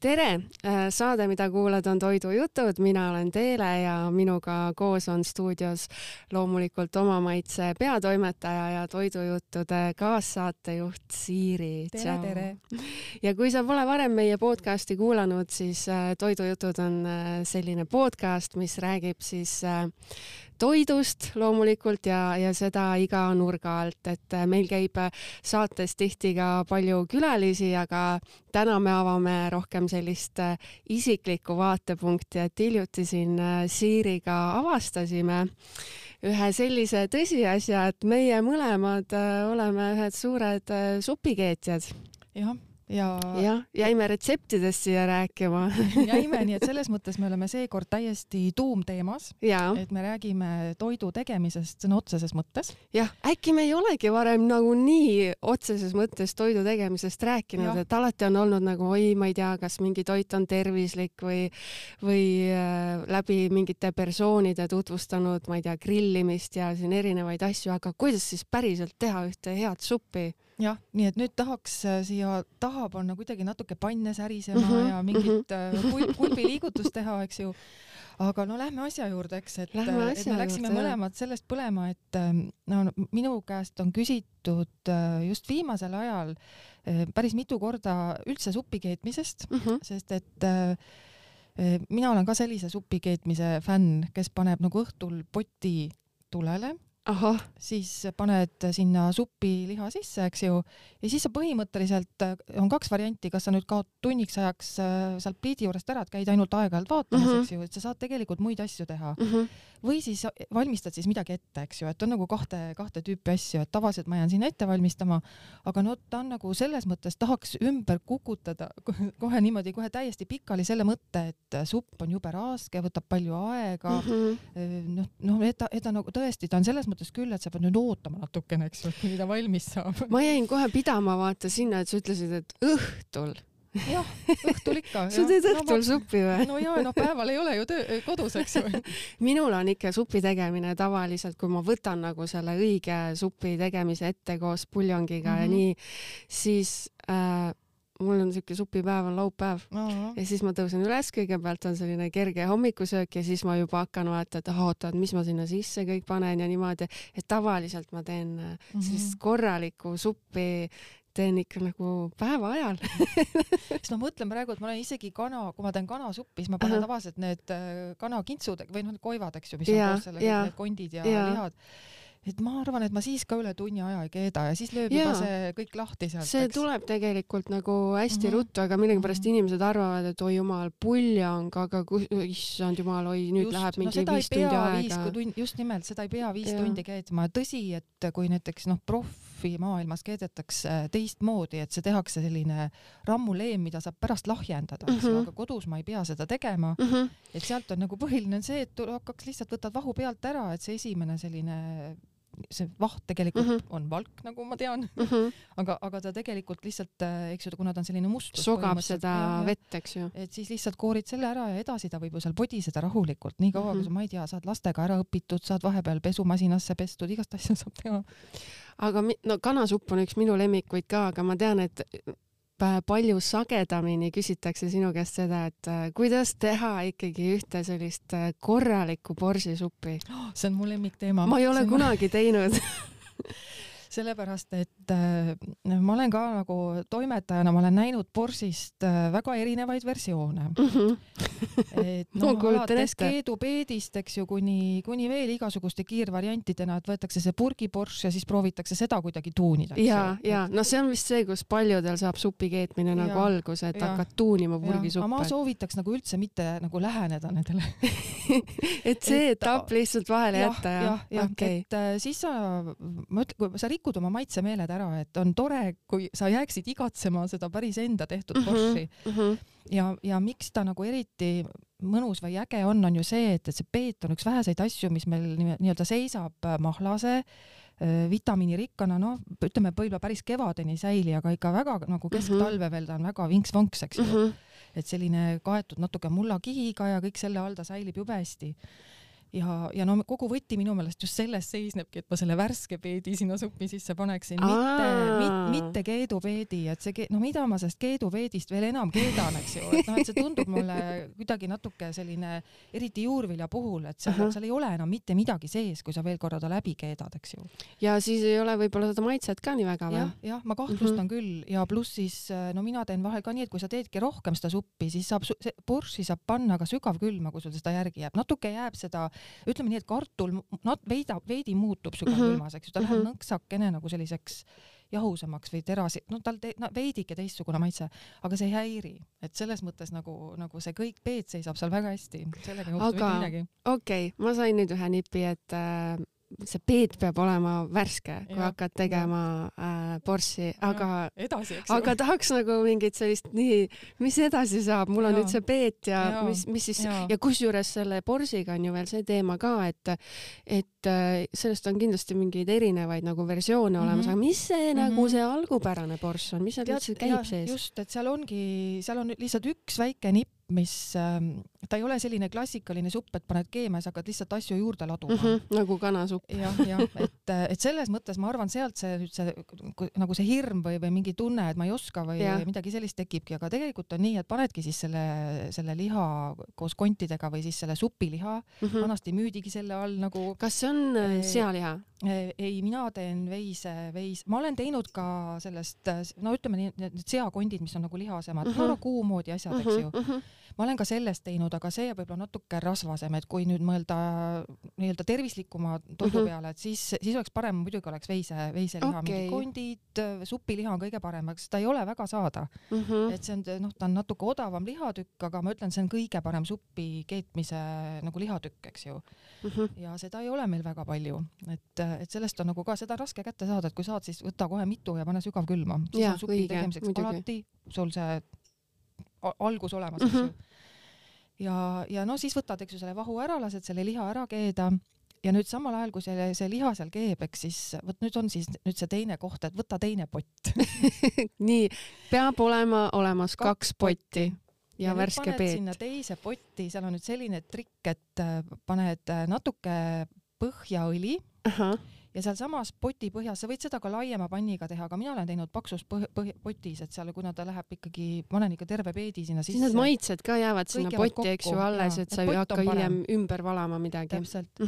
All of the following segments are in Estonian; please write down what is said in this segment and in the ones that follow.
Tere! Saade, mida kuulad, on Toidujutud. Mina olen Teele ja minuga koos on stuudios loomulikult Oma Maitse peatoimetaja ja Toidujuttude kaassaatejuht Siiri. Tere, tere! Ja kui sa pole varem meie podcasti kuulanud, siis Toidujutud on selline podcast, mis räägib siis toidust loomulikult ja seda iga nurga alt, et meil käib saates tihti ka palju külalisi, aga täna me avame rohkem sellist isiklikku vaatepunkti, et hiljuti siin Siiriga avastasime ühe sellise tõsiasja, et meie mõlemad oleme ühed suured supikeetjad. Ja jäime retseptidest siia rääkima. Jäime, nii et selles mõttes me oleme seekord täiesti tuumteemas, et me räägime toidu tegemisest sõna otseses mõttes. Jah, äkki me ei olegi varem nagu nii otseses mõttes toidu tegemisest rääkinud, et alati on olnud nagu, ma ei tea, kas mingi toit on tervislik või läbi mingite persoonide tutvustanud, ma ei tea, grillimist ja siin erinevaid asju, aga kuidas siis päriselt teha ühte head suppi? Jah, nii et nüüd tahaks siia taha panna kuidagi natuke panne särisema ja mingit kulbiliigutust teha, eks ju. Aga no lähme asja juurde, eks, et me läksime mõlemad sellest põlema, et minu käest on küsitud just viimasel ajal päris mitu korda üldse supi keetmisest, sest et mina olen ka sellise supi keetmise fänn, kes paneb nagu õhtul poti tulele. Siis paned sinna supi liha sisse, eks ju, ja siis sa põhimõtteliselt on kaks varianti, kas sa nüüd kaod tunniks ajaks sealt pliidi juurest ära, et käid ainult aeg-ajalt vaatamas, eks ju, et sa saad tegelikult muid asju teha. Või siis valmistad siis midagi ette, eks ju, et on nagu kahte tüüpi asju, et tavaliselt ma jään sinna ette valmistama, aga no ta on nagu selles mõttes tahaks ümber kukutada kohe niimoodi, kohe täiesti pikali selle mõtte, et supp on jube raske, võtab palju aega, et ta nagu tõesti, ta on selles mõttes küll, et sa pead nüüd ootama natukene, eks ju, kuni ta valmis saab. Ma jäin kohe pidama vaata sinna, et sa ütlesid, et õhtul. Jah, õhtul ikka. Sa teed õhtul suppi või? No jaa, päeval ei ole ju kodus, eks ju. Minul on ikka supi tegemine tavaliselt, kui ma võtan nagu selle õige supi tegemise ette koos puljongiga ja nii, siis mul on siuke supipäev on laupäev ja siis ma tõusen üles, kõigepealt on selline kerge hommikusöök ja siis ma juba hakkan vaata, et oota, mis ma sinna sisse kõik panen ja niimoodi, et tavaliselt ma teen sellist korralikku suppi teen ikka nagu päeva ajal. Siis ma mõtlen praegu, et ma olen isegi kui ma teen kanasuppi, siis ma panen tavaliselt need kanakintsud või koivad, eks ju, mis on koos sellega, need kondid ja lihad. Et ma arvan, et ma siis ka üle tunni aja ei keeda ja siis lööb juba see kõik lahti sealt. See tuleb tegelikult nagu hästi ruttu, aga millegipärast inimesed arvavad, et oi jumal, puljang, aga issand jumal, nüüd läheb mingi 5 tundi aega. Just nimelt, seda ei pea 5 tundi keetma. Tõsi, et kui näiteks profi maailmas keedetakse teistmoodi, et see tehakse selline rammuleem, mida saab pärast lahjendada, aga kodus ma ei pea seda tegema. Et sealt on nagu põhiline see, et hakkaks lihtsalt võtad vahu pealt ära, et see esimene selline see vaht tegelikult on valk, nagu ma tean, aga ta tegelikult lihtsalt, eks ju, kuna ta on selline mustus. Sogab seda vett, eks ju. Et siis lihtsalt koorid selle ära ja edasi ta võib ju seal podiseda rahulikult, nii kaua, kui sa, ma ei tea, saad lastega ära õpitud, saad vahepeal pesumasinasse pestud, igast asja saab teha. Aga kanasupp on üks minu lemmikuid ka, aga ma tean, et palju sagedamini küsitakse sinu käest seda, et kuidas teha ikkagi ühte sellist korralikku borsisuppi. See on mu lemmikteema. Ma ei ole kunagi teinud. Sellepärast, et ma olen ka nagu toimetajana, ma olen näinud borsist väga erinevaid versioone. Alates keedupeedist, eks ju, kuni veel igasuguste kiirvariantidena, et võetakse see purgiborš ja siis proovitakse seda kuidagi tuunida. Ja, no see on vist see, kus paljudel saab supi keetmine nagu alguse, et hakkad tuunima purgisuppe. Ma soovitaks nagu üldse mitte nagu läheneda nendele. Et see etapp lihtsalt vahele jätta. Et siis sa rikud oma maitsemeeled ära, et on tore, kui sa jääksid igatsema seda päris enda tehtud borši. Ja miks ta nagu eriti mõnus või äge on ju see, et see peet on üks väheseid asju, mis meil nii-öelda seisab mahlase, vitamiinirikkana, ütleme võib-olla päris kevadeni säili, aga ikka väga nagu kesktalve veel ta on väga vinks-vonks, eks ju. Et selline kaetud natuke mullakihiga ja kõik selle all ta säilib jube hästi. ja no kogu võti minu meelest just selles seisnebki, et ma selle värske peedi sinna suppi sisse paneksin, mitte keedupeedi, et see, no mida ma sellest keedupeedist veel enam keedan, eks ju, et noh, et see tundub mulle kuidagi natuke selline, eriti juurvilja puhul, et seal ei ole enam mitte midagi sees, kui sa veel korra ta läbi keedad, eks ju. Ja siis ei ole võib-olla seda maitset ka nii väga või? Jah, ma kahtlustan küll ja pluss siis, no mina teen vahel ka nii, et kui sa teedki rohkem seda suppi, siis saab borssi saab panna ka sügavkülma, kui sul seda järgi jääb. Natuke jääb seda, ütleme nii, et kartul veidi muutub sügavkülmas, eks ju, ta läheb nõksakene nagu selliseks jahusemaks või terasi, no tal veidike teistsugune maitse, aga see ei häiri, et selles mõttes nagu see kõik peed seisab seal väga hästi, sellega ei juhtu mitte midagi. Okei, ma sain nüüd ühe nipi, et see peed peab olema värske, kui hakkad tegema borssi, aga tahaks nagu mingit sellist mis edasi saab, mul on nüüd see peed ja mis siis, ja kusjuures selle borsiga on ju veel see teema ka, et sellest on kindlasti mingeid erinevaid nagu versioone olemas, aga mis see nagu see algupärane borss on, mis seal üldse käib sees? Just, et seal on lihtsalt üks väike nipp, mis ta ei ole selline klassikaline supp, et paned keema ja sa hakkad lihtsalt asju juurde laduma. Nagu kanasupp. jah, et selles mõttes ma arvan, sealt see nagu see hirm või mingi tunne, et ma ei oska või midagi sellist tekibki, aga tegelikult on nii, et panedki siis selle liha koos kontidega või siis selle supiliha, vanasti müüdigi selle all nagu. Kas see on sealiha? Ei, mina teen veis. Ma olen teinud ka sellest, no ütleme nii, need seakondid, mis on nagu lihasemad, kuu moodi asjad, eks ju. Ma olen ka sellest teinud, aga see võib-olla natuke rasvasem, et kui nüüd mõelda nii-öelda tervislikuma toidu peale, et siis oleks parem, muidugi oleks veiseliha, mingi kondid, supiliha on kõige parem, aga seda ei ole väga saada. Et see on, ta on natuke odavam lihatükk, aga ma ütlen, see on kõige parem suppi keetmise nagu lihatükk, eks ju. Ja seda ei ole meil väga palju, et sellest on nagu ka seda raske kätte saada, et kui saad, siis võta kohe mitu ja pane sügavkülma. Siis on supi tegemiseks alati sul see algus olemas, eks ju. Ja no siis võtad, eks ju, selle vahu ära, lased selle liha ära keeda ja nüüd samal ajal, kui see liha seal keeb, eks siis võt nüüd on siis see teine koht, et võta teine pott. Nii, peab olema olemas 2 potti ja värske peet. Sinna teise potti, seal on nüüd selline trikk, et paned natuke põhjaõli. Ja seal samas poti põhjas, sa võid seda ka laiema panniga teha, aga mina olen teinud paksus potis, et seal, kuna ta läheb ikkagi, panen ikka terve peedi sinna sisse. Siis need maitsed ka jäävad sinna potti, eks ju, alles, et sa ei hakka hiljem ümber valama midagi. Täpselt.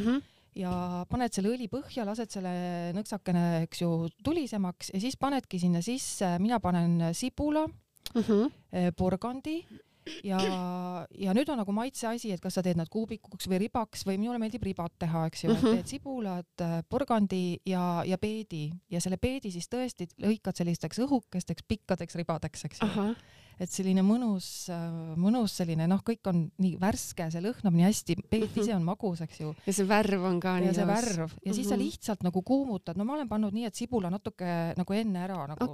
Ja paned selle õli põhja, lased selle nõksakene, eks ju, tulisemaks ja siis panedki sinna sisse, mina panen sibula, porgandi ja nüüd on nagu maitse asi, et kas sa teed nad kuubikuks või ribaks või minule meeldib ribat teha, eks ju, et teed sibulat, porgandi ja peedi ja selle peedi siis tõesti lõikad sellisteks õhukesteks pikkadeks ribadeks, eks ju. Et selline mõnus selline, kõik on nii värske, see lõhnab nii hästi, peet ise on magus, eks ju. Ja see värv on ka nii see värv. Ja siis sa lihtsalt nagu kuumutad. No ma olen pannud nii, et sibula natuke nagu enne ära. Nagu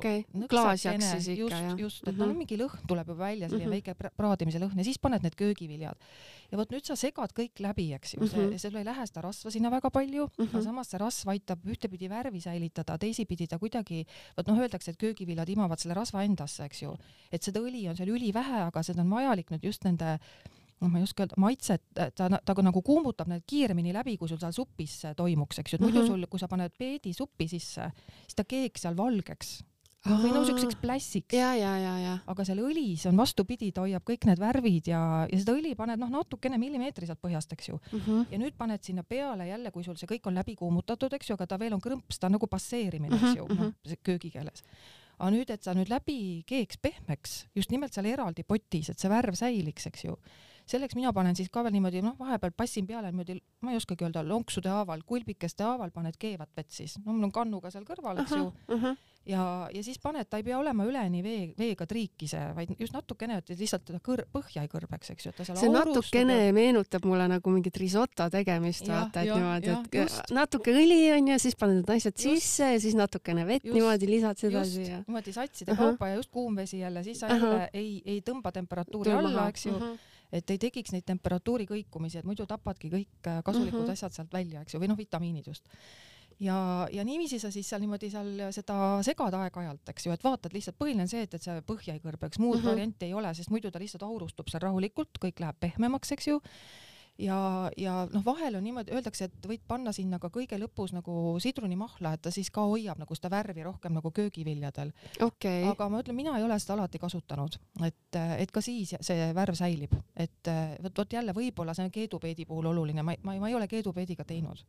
klaasjaks siis ikka, jah. Just, et mingi lõhn tuleb juba välja, selline väike praadimise lõhn ja siis paned need köögiviljad. Ja võt nüüd sa segad kõik läbi, eks ju. Sul ei lähe seda rasva sinna väga palju, aga samas see rasv aitab ühtepidi värvi säilitada, teisipidi ta kuidagi, öeldakse, et köögiviljad imavad selle rasva endasse, eks ju. Et seda õli on seal ülivähe, aga seda on vajalik nüüd just nende, ma ei oska öelda, maitset, ta nagu kuumutab need kiiremini läbi, kui sul seal suppis toimuks, eks ju. Muidu sul, kui sa paned peedi suppi sisse, siis ta keeg seal valgeks. Või selliseks plässiks. Aga seal õlis on vastupidi, ta hoiab kõik need värvid ja seda õli paned natukene millimeetriselt põhjast, eks ju. Ja nüüd paned sinna peale jälle, kui sul see kõik on läbi kuumutatud, eks ju, aga ta veel on krõmps, ta on nagu passeerimine, eks ju, köögikeeles. Aga nüüd, et sa nüüd läbi keeks pehmeks, just nimelt seal eraldi potis, et see värv säiliks, eks ju. Selleks mina panen siis ka veel niimoodi, vahepeal passin peale niimoodi, ma ei oskagi öelda, lonksude haaval, kulbikeste haaval paned keevat vett siis. Mul on kannuga seal kõrval, eks ju. Ja siis paned, ta ei pea olema üleni veega triikise, vaid just natukene, et lihtsalt teda põhja ei kõrbeks, eks ju. See natukene meenutab mulle nagu mingit risotto tegemist, vaata, et niimoodi, et natuke õli on ja siis paned need asjad sisse ja siis natukene vett niimoodi lisad seda siia. Niimoodi satside kaupa ja just kuumvesi jälle, siis sa jälle ei tõmba temperatuuri alla, eks ju. Et ei tekiks neid temperatuuri kõikumisi, et muidu tapadki kõik kasulikud asjad sealt välja, eks ju, või vitamiinid just. Ja niiviisi sa siis seal niimoodi seda segad aeg-ajalt, eks ju, et vaatad lihtsalt, põhiline on see, et see põhja ei kõrbeks, muud varianti ei ole, sest muidu ta lihtsalt aurustub seal rahulikult, kõik läheb pehmemaks, eks ju. ja noh, vahel on niimoodi, öeldakse, et võid panna sinna ka kõige lõpus nagu sidrunimahla, et ta siis ka hoiab nagu seda värvi rohkem nagu köögiviljadel. Okay. Aga ma ütlen, mina ei ole seda alati kasutanud, et ka siis see värv säilib, et võt jälle võib-olla see on keedupeedi puhul oluline, ma ei ole keedupeediga teinud.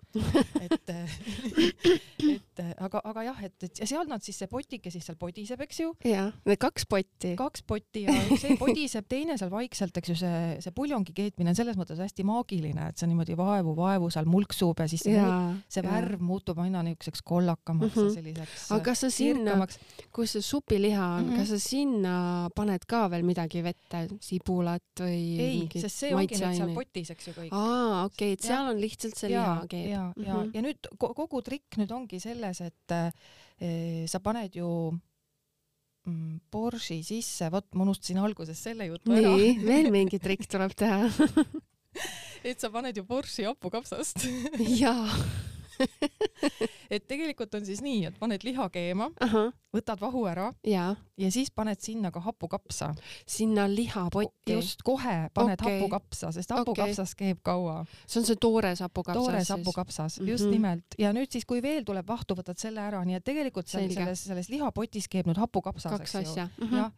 aga jah, et seal nad siis see potike siis seal podiseb, eks ju. Ja, need 2 potti. 2 potti ja see podiseb, teine seal vaikselt, eks ju, see puljongi keetmine on selles mõttes hästi maagiline, et see niimoodi vaevu seal mulksub ja siis see värv muutub aina niisuguseks kollakamaks ja selliseks. Aga kas sa sinna, kus see supiliha on, kas sa sinna paned ka veel midagi vette, sibulat või ei, sest see ongi nüüd seal potis, eks ju kõik. Okei, et seal on lihtsalt see liha keeb. Ja nüüd kogu trikk nüüd ongi selles, et sa paned ju borši sisse, ma unustasin alguses selle jutu ära. Nii, veel mingi trikk tuleb teha. Et sa paned ju borši hapukapsast. Jaa. Et tegelikult on siis nii, et paned liha keema, võtad vahu ära ja siis paned sinna ka hapukapsa. Sinna lihapotti? Just kohe paned hapukapsa, sest hapukapsas keeb kaua. See on see toores hapukapsas? Toores hapukapsas, just nimelt. Ja nüüd siis, kui veel tuleb vahtu, võtad selle ära, nii et tegelikult selles lihapotis keeb nüüd hapukapsas. 2 asja.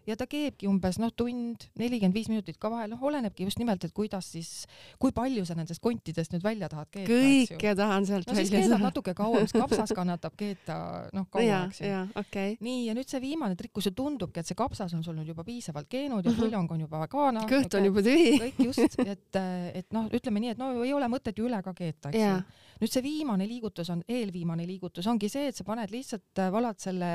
Ja ta keebki umbes tund, 45 minutit ka vahel, olenebki just nimelt, et kuidas siis, kui palju sa nendest kontidest nüüd välja tahad keeta. Kõike tahan sealt välja. No siis keedab natuke kauem, sest kapsas kannatab keeta kaua, eks ju. Nii, ja nüüd see viimane trikk, kui see tundubki, et see kapsas on sul nüüd juba piisavalt keenud ja puljong on juba kaana. Kõht on juba tühi. Kõik just, et ütleme nii, et ei ole mõtet ju üle ka keeta, eks ju. Nüüd see viimane liigutus eelviimane liigutus ongi see, et sa paned lihtsalt, valad selle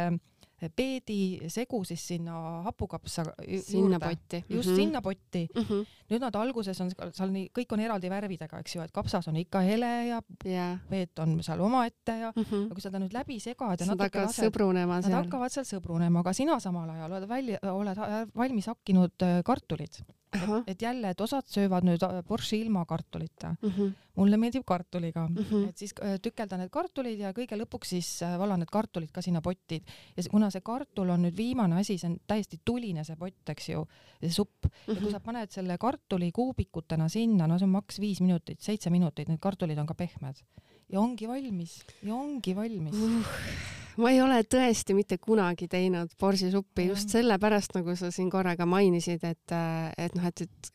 peedi segu siis sinna hapukapsa sinna potti. Just sinna potti. Nüüd nad alguses on seal kõik on eraldi värvidega, eks ju, et kapsas on ikka hele ja peet on seal omaette ja kui seda nüüd läbi segad ja nad hakkavad sõbrunema seal. Nad hakkavad seal sõbrunema, aga sina samal ajal oled valmis hakkinud kartulid. Et jälle, et osad söövad nüüd borši ilma kartulita. Mulle meeldib kartuliga. Et siis tükelda need kartulid ja kõige lõpuks siis valan need kartulid ka sinna pottid. Ja kuna see kartul on nüüd viimane asi, see on täiesti tuline see pott, eks ju, see supp. Ja kui sa paned selle kartuli kuubikutena sinna, see on maks 5 minutit, 7 minutit, need kartulid on ka pehmed. Ja ongi valmis. Ma ei ole tõesti mitte kunagi teinud borsisuppi just sellepärast, nagu sa siin korraga mainisid, et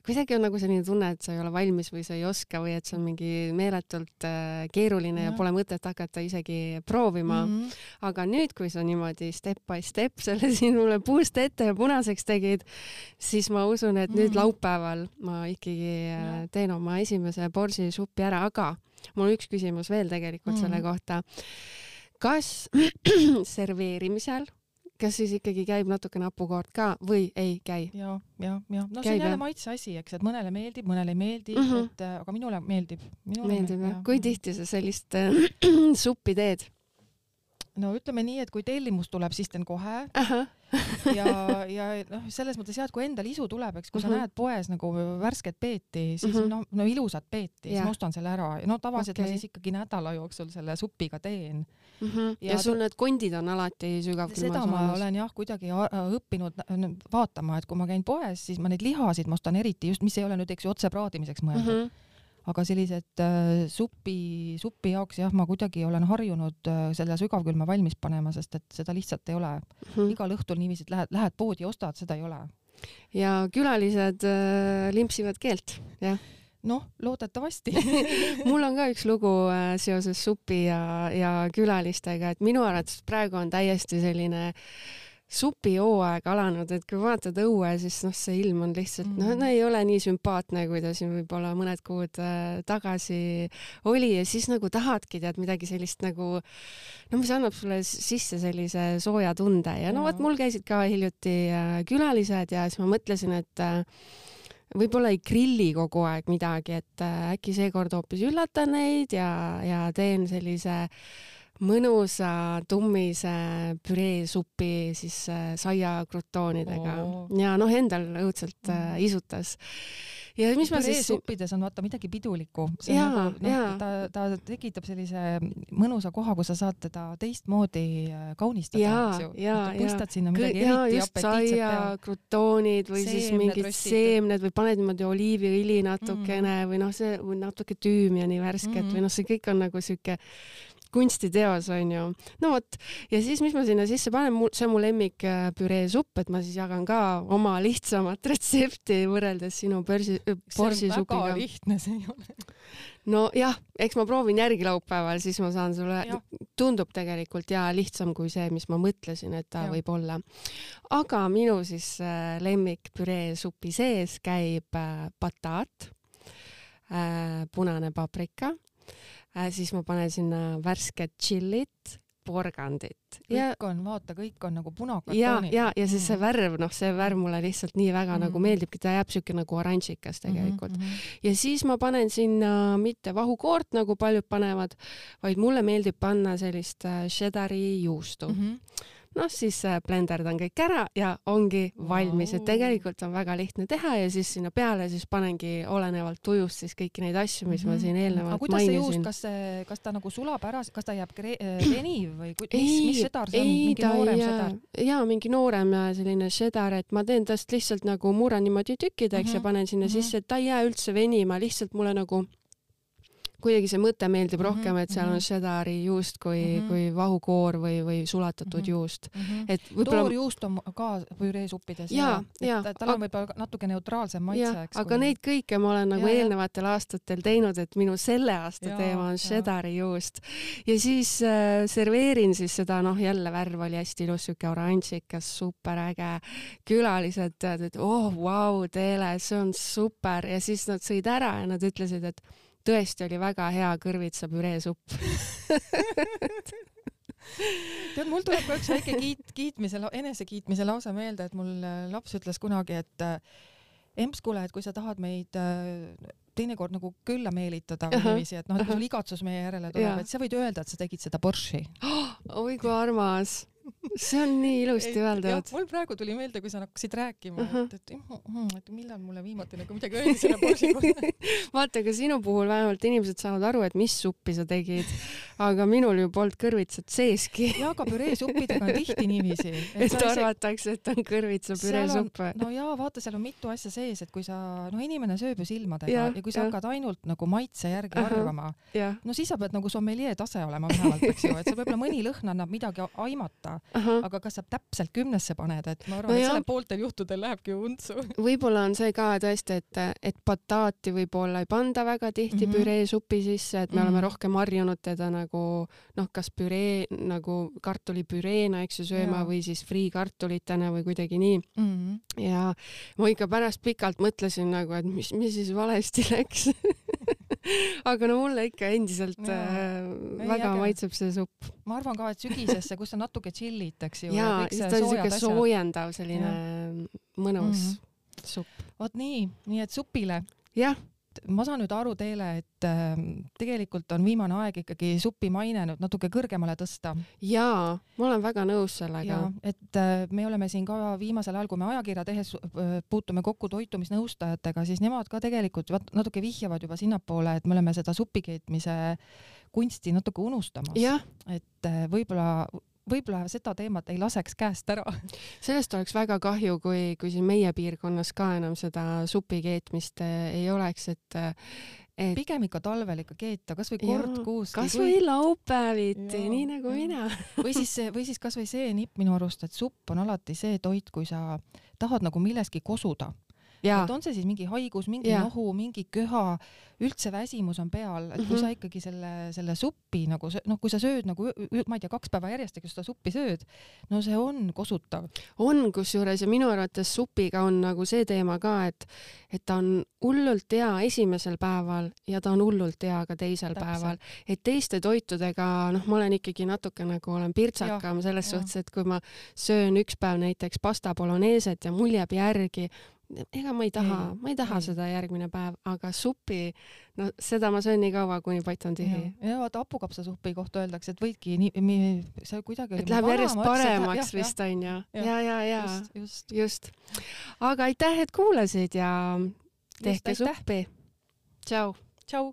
kuidagi on nagu selline tunne, et sa ei ole valmis või sa ei oska või et see on mingi meeletult keeruline ja pole mõtet hakata isegi proovima. Aga nüüd, kui sa niimoodi step by step selle siin mulle puust ette ja punaseks tegid, siis ma usun, et nüüd laupäeval ma ikkagi teen oma esimese borsisuppi ära, aga mul on üks küsimus veel tegelikult selle kohta. Kas serveerimisel, kas siis ikkagi käib natuke hapukoort ka või ei käi? Ja. No see on jälle maitse asi, eks, et mõnele meeldib, mõnele ei meeldi, aga minule meeldib. Meeldib, jah. Kui tihti sa sellist suppi teed? No ütleme nii, et kui tellimus tuleb, siis teen kohe. Ja selles mõttes et kui endal isu tuleb, eks, kui sa näed poes nagu värsket peeti, siis no ilusat peeti, siis ma ostan selle ära. No tavaliselt ma siis ikkagi nädala jooksul selle supiga teen. Ja sul need kondid on alati sügavkülmas? Seda ma olen kuidagi õppinud vaatama, et kui ma käin poes, siis ma neid lihasid ma ostan eriti just, mis ei ole nüüd otse praadimiseks mõeldud. Aga sellised supi jaoks ma kuidagi olen harjunud selle sügavkülma valmis panema, sest et seda lihtsalt ei ole. Igal õhtul niiviisi, et lähed poodi ja ostad, seda ei ole. Ja külalised limpsivad keelt, jah? Noh, loodetavasti. Mul on ka üks lugu seoses supi ja külalistega, et minu arvates praegu on täiesti selline supihooaeg alanud, et kui vaatad õue, siis see ilm on lihtsalt, ei ole nii sümpaatne, kui ta siin võib-olla mõned kuud tagasi oli ja siis nagu tahadki midagi sellist nagu, mis annab sulle sisse sellise sooja tunde ja mul käisid ka hiljuti külalised ja siis ma mõtlesin, et võib-olla ei grilli kogu aeg midagi, et äkki seekord hoopis üllatan neid ja teen sellise mõnusa tummise püreesupi siis saia krutoonidega ja endal õudselt isutas. ja mis ma siis püreesuppides on vaata midagi pidulikku. Nagu, ta tekitab sellise mõnusa koha, kus sa saad teda teistmoodi kaunistada. Pistad sinna midagi eriti apetiitset peale. Krutoonid või siis mingid seemned või paned niimoodi oliiviõli natukene või see või natuke tüümiani värsket või see kõik on nagu siuke kunstiteos onju. No vot, ja siis mis ma sinna sisse panen, see on mu lemmik püreesupp, et ma siis jagan ka oma lihtsamat retsepti võrreldes sinu borsisupiga. See on väga lihtne, see ei ole. No jah, eks ma proovin järgi laupäeval, siis ma saan sulle, tundub tegelikult lihtsam kui see, mis ma mõtlesin, et ta võib olla. Aga minu siis lemmik püreesupi sees käib bataat, punane paprika, siis ma panen sinna värsket tšillit, porgandit. Kõik on nagu punakad toonid. Ja siis see värv, see värv mulle lihtsalt nii väga nagu meeldibki, ta jääb siuke nagu oranžikas tegelikult. Ja siis ma panen sinna mitte vahukoort, nagu paljud panevad, vaid mulle meeldib panna sellist cheddari juustu. Siis blenderdan kõik ära ja ongi valmis, et tegelikult on väga lihtne teha ja siis sinna peale siis panengi olenevalt tujust siis kõiki neid asju, mis ma siin eelnevalt mainisin. Kas ta nagu sulab ära, kas ta jääb veniv või mis cheddar see on? Mingi noorem cheddar? Jaa, mingi noorem selline cheddar, et ma teen tast lihtsalt nagu murran niimoodi tükkideks ja panen sinna sisse, et ta ei jää üldse venima, lihtsalt mulle nagu kuidagi see mõte meeldib rohkem, et seal on cheddari juust kui vahukoor või sulatatud juust. Toorjuust on ka püreesuppides. Tal on võib-olla natuke neutraalsem maitse. Aga neid kõike ma olen nagu eelnevatel aastatel teinud, et minu selle aasta teema on cheddari juust. Ja siis serveerin siis seda, jälle värv oli hästi ilus, siuke oranžikas, super äge. Külalised tead, et vau, Teele, see on super. Ja siis nad sõid ära ja nad ütlesid, et tõesti oli väga hea kõrvitsa püreesupp. Tead, mul tuleb ka üks väike enesekiitmise lause meelde, et mul laps ütles kunagi, et Emskule, et kui sa tahad meid teinekord nagu külla meelitada või niiviisi, et kui sul igatsus meie järele tuleb, et sa võid öelda, et sa tegid seda borši. Oi, kui armas. See on nii ilusti öeldud. Mul praegu tuli meelde, kui sa hakkasid rääkima, et millal mulle viimati nagu midagi öeldi selle borši kohta. Vaata, aga sinu puhul vähemalt inimesed saavad aru, et mis suppi sa tegid, aga minul ju polnud kõrvitsat seeski. Ja, aga püreesuppidega on tihti niiviisi. Et arvatakse, et on kõrvitsa püreesupp. No jaa, vaata, seal on mitu asja sees, et kui sa, inimene sööb ju silmadega ja kui sa hakkad ainult nagu maitse järgi arvama, siis sa pead nagu sommelier tase olema vähemalt, eks ju, et see võib-olla mõni lõhn annab midagi aimata. Aga kas sa täpselt 10 paned, et ma arvan, et selle pooltel juhtudel lähebki untsu. Võib-olla on see ka tõesti, et bataati võib-olla ei panda väga tihti püreesupi sisse, et me oleme rohkem harjunud teda nagu, kas püree, nagu kartulipüreena, eks ju, sööma või siis friikartulitena või kuidagi nii. Ja ma ikka pärast pikalt mõtlesin nagu, et mis siis valesti läks. Aga mulle ikka endiselt väga maitseb see supp. Ma arvan ka, et sügisesse, kus on natuke chillit, eks ju. Jaa, siis ta on siuke soojendav selline mõnus supp. Vot nii et supile. Jah. Ma saan nüüd aru Teele, et tegelikult on viimane aeg ikkagi supi maine nüüd natuke kõrgemale tõsta. Jaa, ma olen väga nõus sellega. Et me oleme siin ka viimasel ajal, kui me ajakirja tehes puutume kokku toitumisnõustajatega, siis nemad ka tegelikult natuke vihjavad juba sinnapoole, et me oleme seda supikeetmise kunsti natuke unustamas. Et võib-olla seda teemat ei laseks käest ära. Sellest oleks väga kahju, kui siin meie piirkonnas ka enam seda supikeetmist ei oleks, et pigem ikka talvel ikka keeta, kas või kord kuus. Kas või laupäeviti, nii nagu mina. Või siis kas või see nipp minu arust, et supp on alati see toit, kui sa tahad nagu milleski kosuda. Et on see siis mingi haigus, mingi nohu, mingi köha, üldse väsimus on peal, et kui sa ikkagi selle suppi nagu, kui sa sööd nagu, ma ei tea, 2 päeva järjest, kui seda suppi sööd, no see on kosutav. On kusjuures ja minu arvates supiga on nagu see teema ka, et ta on hullult hea esimesel päeval ja ta on hullult hea ka teisel päeval. Et teiste toitudega, ma olen ikkagi natuke nagu olen pirtsakam selles suhtes, et kui ma söön üks päev näiteks pasta boloneeset ja mul jääb järgi, ega ma ei taha seda järgmine päev, aga supi, seda ma söön nii kaua, kuni pott on tihi. Ja vaata hapukapsasupi kohta öeldakse, et võidki see kuidagi et läheb järjest paremaks vist on ju. Ja. Just. Aga aitäh, et kuulasid ja tehke suppi. Tšau. Tšau.